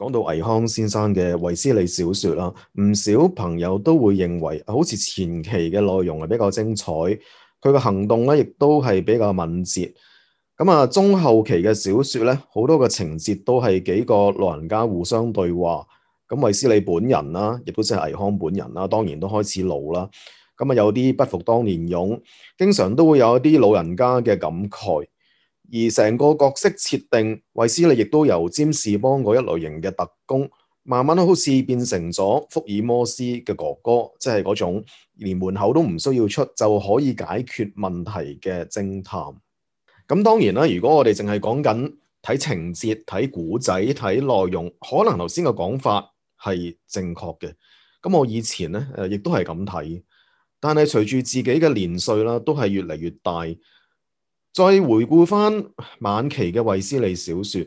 講到倪匡先生嘅衛斯理小說啦，唔少朋友都會認為，好似前期嘅內容係比較精彩，佢嘅行動咧亦都係比較敏捷。咁啊，中後期嘅小說咧，好多嘅情節都係幾個老人家互相對話。咁衛斯理本人啦，亦都即係倪匡本人啦，當然都開始老啦。咁啊，有啲不復當年勇，經常都會有一啲老人家嘅感慨。而成個角色設定，衛斯理亦都由占士邦嗰一類型嘅特工，慢慢好似變成咗福爾摩斯嘅哥哥，即係嗰種連門口都唔需要出就可以解決問題嘅偵探。咁當然啦，如果我哋淨係講緊睇情節、睇古仔、睇內容，可能頭先嘅講法係正確嘅。咁我以前咧亦都係咁睇，但係隨住自己嘅年歲啦，都係越嚟越大。再回顧翻晚期嘅衛斯理小說，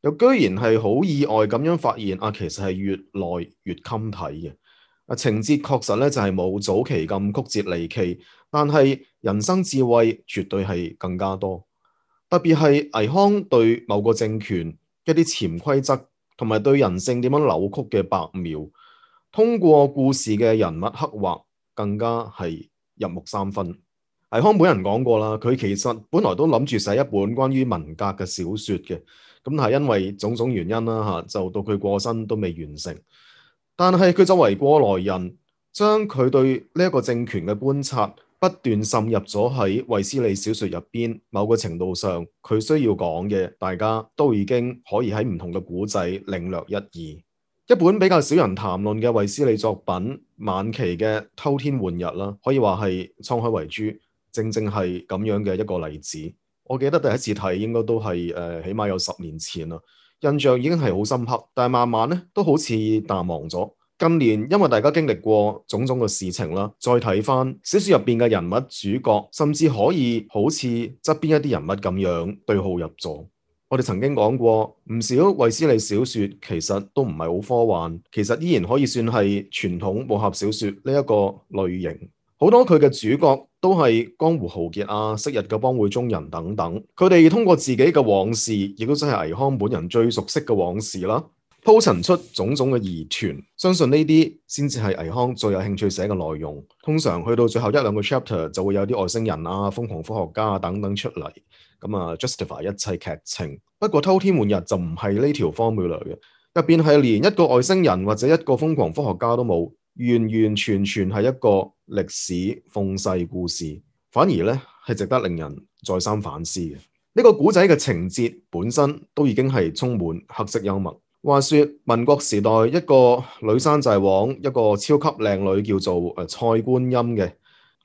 又居然係好意外咁樣發現其實係越來越襟睇嘅。情節確實咧就係冇早期咁曲折離奇，但係人生智慧絕對係更加多。特別係倪匡對某個政權一啲潛規則同埋對人性點樣扭曲嘅白描，通過故事嘅人物刻畫，更加係入木三分。倪匡本人講過啦，佢其實本來都諗住寫一本關於文革嘅小說嘅，咁但係因為種種原因啦就到佢過身都未完成。但係佢作為過來人，將佢對呢一個政權嘅觀察不斷滲入咗喺衛斯理小說入邊，某個程度上佢需要講嘅，大家都已經可以喺唔同嘅古仔領略一二。一本比較少人談論嘅衛斯理作品，晚期嘅偷天換日啦，可以話係滄海遺珠，正正係咁樣嘅一個例子。我記得第一次睇應該都係起碼有10年前啦，印象已經係好深刻，但係慢慢咧都好似淡忘咗。近年因為大家經歷過種種嘅事情啦，再睇翻小說入邊嘅人物主角，甚至可以好似側邊一啲人物咁樣對號入座。我哋曾經講過，唔少衛斯理小說其實都唔係好科幻，其實依然可以算係傳統武俠小說呢一個類型。好多佢嘅主角都係江湖豪傑啊、昔日嘅幫會中人等等，佢哋通過自己嘅往事，亦都真係倪匡本人最熟悉嘅往事啦，鋪陳出種種嘅疑團。相信呢啲先至係倪匡最有興趣寫嘅內容。通常去到最後一兩個 chapter 就會有啲外星人啊、瘋狂科學家啊等等出嚟，咁啊 justify 一切劇情。不過偷天換日就唔係呢條 formula 嘅，入邊係連一個外星人或者一個瘋狂科學家都冇，完完全全係一個歷史諷世故事，反而咧係值得令人再三反思嘅。呢個古仔嘅情節本身都已經係充滿黑色幽默。話說民國時代一個女山寨王，一個超級靚女叫做蔡觀音嘅，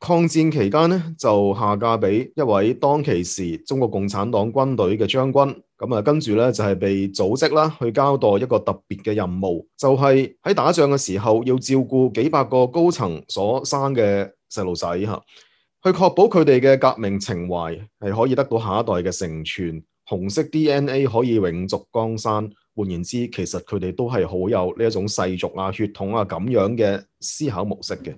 抗戰期間咧就下嫁俾一位當其時中國共產黨軍隊嘅將軍，咁啊跟住咧就係被組織啦去交代一個特別嘅任務，就係喺打仗嘅時候要照顧幾百個高層所生嘅細路仔吓，去確保佢哋嘅革命情懷係可以得到下一代嘅承傳，紅色 DNA 可以永續江山。換言之，其實佢哋都係好有呢一種世俗啊、血統啊咁樣嘅思考模式嘅。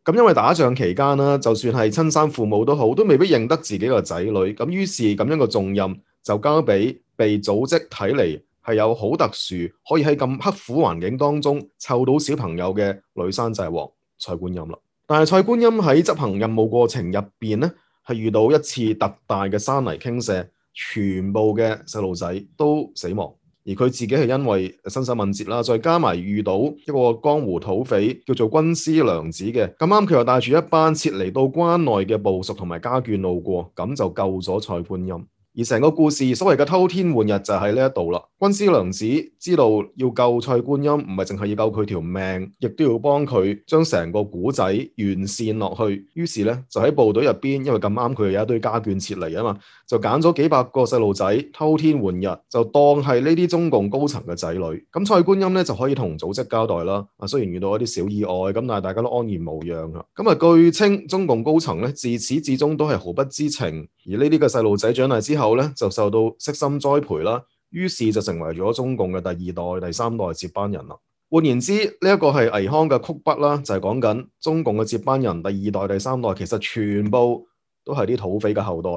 咁因為打仗期間啦，就算係親生父母都好，都未必認得自己個仔女。咁於是咁樣個重任就交俾被組織睇嚟係有好特殊，可以喺咁刻苦環境當中湊到小朋友嘅女山寨王蔡觀音啦。但係蔡觀音喺執行任務過程入邊咧，係遇到一次特大嘅山泥傾瀉，全部嘅細路仔都死亡。而佢自己係因為身手敏捷啦，再加埋遇到一個江湖土匪叫做軍師娘子嘅，咁啱佢又帶住一班撤離到關內嘅部屬同埋家眷路過，咁就救咗蔡觀音。而成個故事所謂嘅偷天換日就喺呢一度啦。軍師娘子知道要救蔡觀音，唔係淨係要救佢條命，亦都要幫佢將成個古仔完善落去。於是咧就喺部隊入邊，因為咁啱佢有一堆家眷撤離啊嘛，就揀咗幾百個細路仔偷天換日，就當係呢啲中共高層嘅仔女。咁蔡觀音咧就可以同組織交代啦。雖然遇到一啲小意外，咁但係大家都安然無恙啊。咁啊據稱中共高層咧自始至終都係毫不知情，而呢啲嘅細路仔長大之後咧就受到悉心栽培啦，於是就成為咗中共嘅第2代、第3代接班人啦。換言之，呢一個係倪匡嘅曲筆啦，就係講緊中共嘅接班人第2代、第3代，其實全部都係啲土匪嘅後代。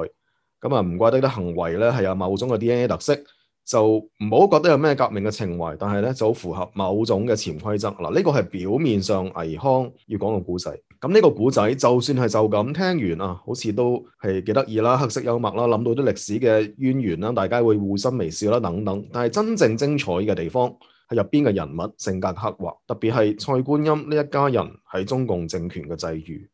咁啊唔怪得啲行為咧係有某種嘅 DNA 特色，就唔好覺得有咩革命嘅情懷，但係咧就好符合某種嘅潛規則。嗱，呢個係表面上倪匡要講個古仔。咁呢個古仔就算係就咁聽完啊，好似都係幾得意啦，黑色幽默啦，諗到啲歷史嘅淵源啦，大家會互心微笑啦等等。但係真正精彩嘅地方係入邊嘅人物性格刻畫，特別係蔡觀音呢一家人喺中共政權嘅際遇。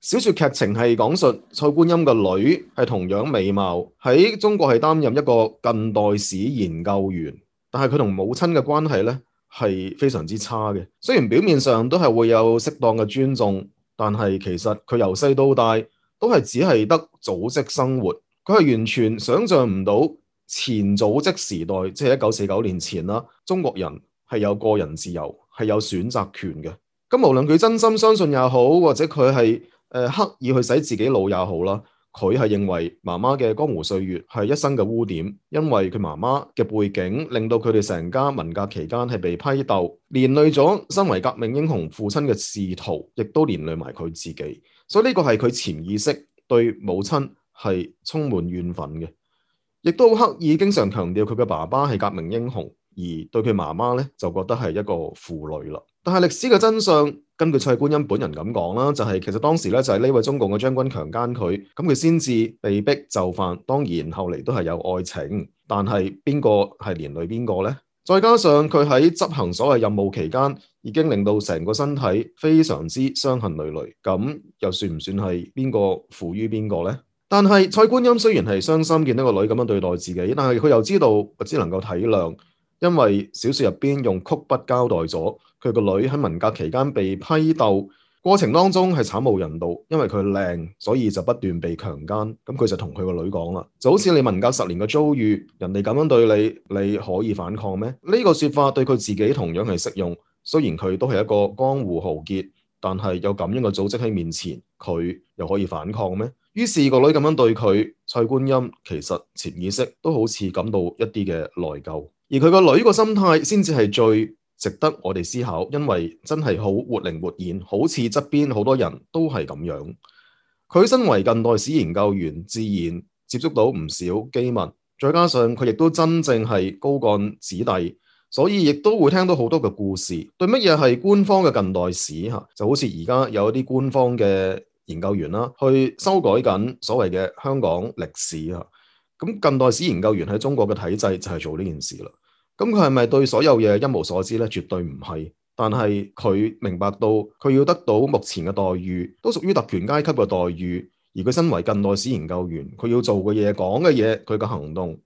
小說劇情係講述蔡觀音嘅女係同樣美貌，喺中國係擔任一個近代史研究員，但係佢同母親嘅關係呢係非常之差嘅。雖然表面上都係會有適當嘅尊重，但係其實佢由細到大都係只係得組織生活，佢係完全想象唔到前組織時代，即係1949年前啦，中國人係有個人自由，係有選擇權嘅。咁無論佢真心相信也好，或者佢係刻意去洗自己腦也好啦，佢係認為媽媽嘅江湖歲月係一生嘅污點，因為佢媽媽嘅背景令到佢哋成家文革期間係被批鬥，連累咗身為革命英雄父親嘅仕途，亦都連累埋佢自己，所以呢個係佢潛意識對母親係充滿怨憤嘅，亦都刻意經常強調佢嘅爸爸係革命英雄，而對佢媽媽咧就覺得係一個負累啦。但係歷史嘅真相，根據蔡觀音本人咁講啦，就係其實當時咧就係呢位中共嘅將軍強姦佢，咁佢先至被逼就範。當然後嚟都係有愛情，但係邊個係連累邊個呢？再加上佢喺執行所謂任務期間，已經令到成個身體非常之傷痕累累，咁又算唔算係邊個負於邊個呢？但係蔡觀音雖然係傷心見到個女咁樣對待自己，但係佢又知道只能夠體諒，因為小說入邊用曲筆交代咗佢個女喺文革期間被批鬥過程當中係慘無人道，因為佢靚，所以就不斷被強姦。咁佢就同佢個女講啦，就好似你文革10年嘅遭遇，人哋咁樣對你，你可以反抗咩？呢個說法對佢自己同樣係適用。雖然佢都係一個江湖豪傑，但係有咁樣嘅組織喺面前，佢又可以反抗咩？於是個女咁樣對佢，蔡觀音其實潛意識都好似感到一啲嘅內疚，而佢個女個心態先至係最值得我哋思考，因為真係好活靈活現，好似側邊好多人都係咁樣。佢身為近代史研究員，自然接觸到唔少機密，再加上佢亦都真正係高幹子弟，所以亦都會聽到好多嘅故事。對乜嘢係官方嘅近代史就好似而家有一啲官方嘅研究員啦，去修改緊所謂嘅香港歷史啊。咁近代史研究員喺中國嘅體制就係做呢件事啦。咁佢係咪對所有嘢一無所知呢？絕對唔係。但係佢明白到佢要得到目前嘅待遇，都屬於特權階級嘅待遇。而佢身為近代史研究員，佢要做嘅嘢、講嘅嘢、佢嘅行動，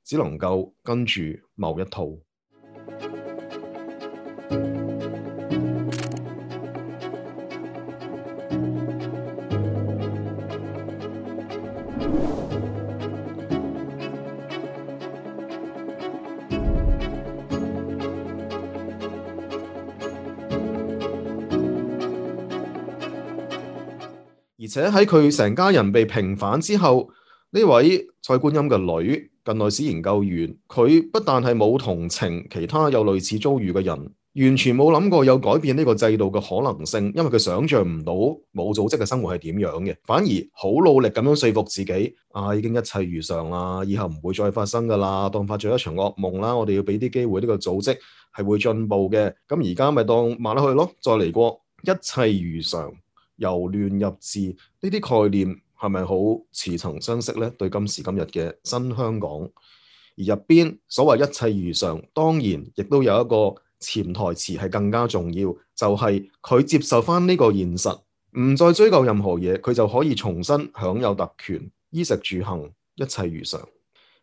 只能夠跟住某一套。而且喺佢成家人被平反之後，呢位蔡觀音嘅女近代史研究員，佢不但係冇同情其他有類似遭遇嘅人，完全冇諗過有改變呢個制度嘅可能性，因為佢想象唔到冇組織嘅生活係點樣嘅，反而好努力咁樣說服自己，已經一切如常啦，以後唔會再發生噶啦，當發咗一場噩夢啦，我哋要俾啲機會呢個組織係會進步嘅，咁而家咪當慢落去咯，再嚟過，一切如常。由亂入治呢啲概念係咪好似曾相識呢？對今時今日嘅新香港，而入邊所謂一切如常，當然亦都有一個潛台詞係更加重要，就係佢接受翻呢個現實，唔再追究任何嘢，佢就可以重新享有特權，衣食住行一切如常，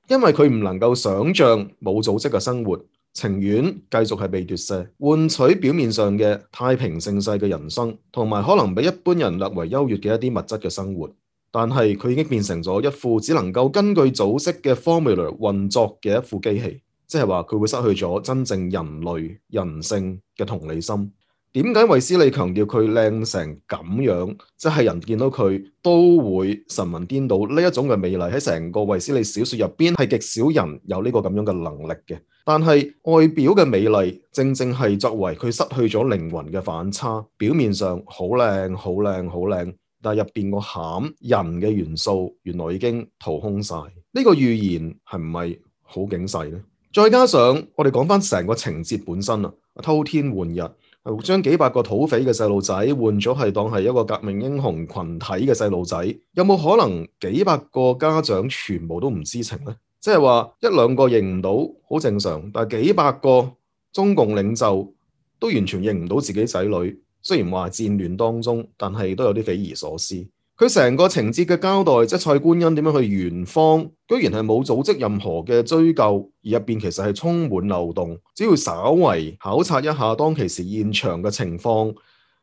因為佢唔能夠想象冇組織嘅生活。情願繼續係被奪舍，換取表面上嘅太平盛世嘅人生，同埋可能比一般人略為優越嘅一啲物質嘅生活。但係佢已經變成咗一副只能夠根據組織嘅 formula 運作嘅一副機器，即係話佢會失去咗真正人類人性嘅同理心。點解衛斯理強調佢靚成咁樣？即係人見到佢都會神魂顛倒，呢一種嘅美麗喺成個衛斯理小說入邊係極少人有呢個咁樣嘅能力嘅。但係外表嘅美麗正正係作為佢失去咗靈魂嘅反差，表面上好靚好靚好靚，但係入邊個餡人嘅元素原來已經掏空晒。呢個預言係唔係好警世呢？再加上我哋講翻成個情節本身啊，偷天換日，係將幾百個土匪嘅細路仔換咗係當係一個革命英雄群體嘅細路仔，有冇可能幾百個家長全部都唔知情呢？即係話一兩個認唔到好正常，但係幾百個中共領袖都完全認唔到自己仔女，雖然話戰亂當中，但係都有啲匪夷所思。佢成個情節嘅交代，即係蔡觀音點樣去圓謊，居然係冇組織任何嘅追究，而入邊其實係充滿漏洞。只要稍為考察一下當其時現場嘅情況，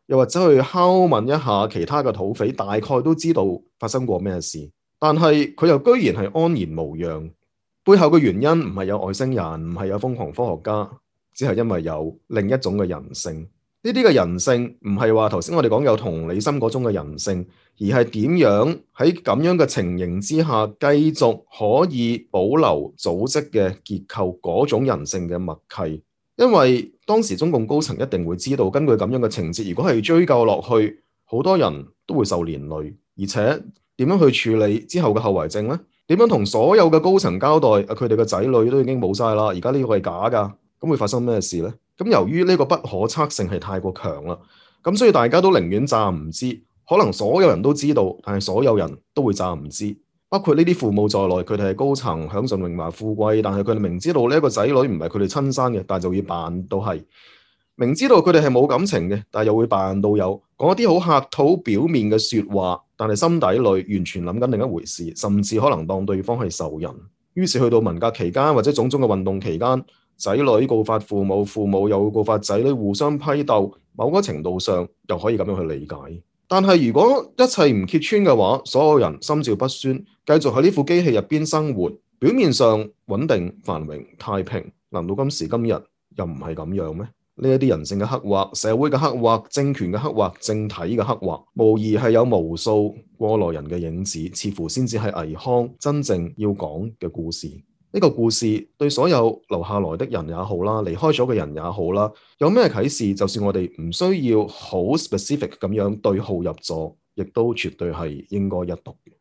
又或者去拷問一下其他嘅土匪，大概都知道發生過咩事。但係佢又居然係安然無恙，背後嘅原因唔係有外星人，唔係有瘋狂科學家，只係因為有另一種嘅人性。呢啲嘅人性唔係話頭先我哋講有同理心嗰種嘅人性，而係點樣喺咁樣嘅情形之下繼續可以保留組織嘅結構嗰種人性嘅默契。因為當時中共高層一定會知道，根據咁樣嘅情節，如果係追究落去，好多人都會受連累，而且點樣去處理之後嘅後遺症呢？點樣同所有嘅高層交代？佢哋嘅仔女都已經冇晒啦，而家呢個係假噶，咁會發生咩事呢？咁由於呢個不可測性係太過強啦，咁所以大家都寧願詐唔知，可能所有人都知道，但係所有人都會詐唔知，包括呢啲父母在內，佢哋係高層享盡榮華富貴，但係佢哋明知道呢一個仔女唔係佢哋親生嘅，但係就要扮到係，明知道佢哋係冇感情嘅，但係又會扮到有，講一啲好客套表面嘅說話，但係心底裏完全諗緊另一回事，甚至可能當對方係仇人。於是去到文革期間或者種種嘅運動期間，仔女告發父母，父母又告發仔女，互相批鬥，某個程度上又可以咁樣去理解。但係如果一切唔揭穿嘅話，所有人心照不宣，繼續喺呢副機器入邊生活，表面上穩定繁榮太平，難道今時今日又唔係咁樣咩？呢一啲人性嘅刻畫、社會嘅刻畫、政權嘅刻畫、政體嘅刻畫，無疑係有無數過來人嘅影子，似乎先至係倪匡真正要講嘅故事。呢個故事對所有留下來的人也好啦，離開咗嘅人也好啦，有咩啟示？就算我哋唔需要好 specific 咁樣對號入座，亦都絕對係應該一讀嘅。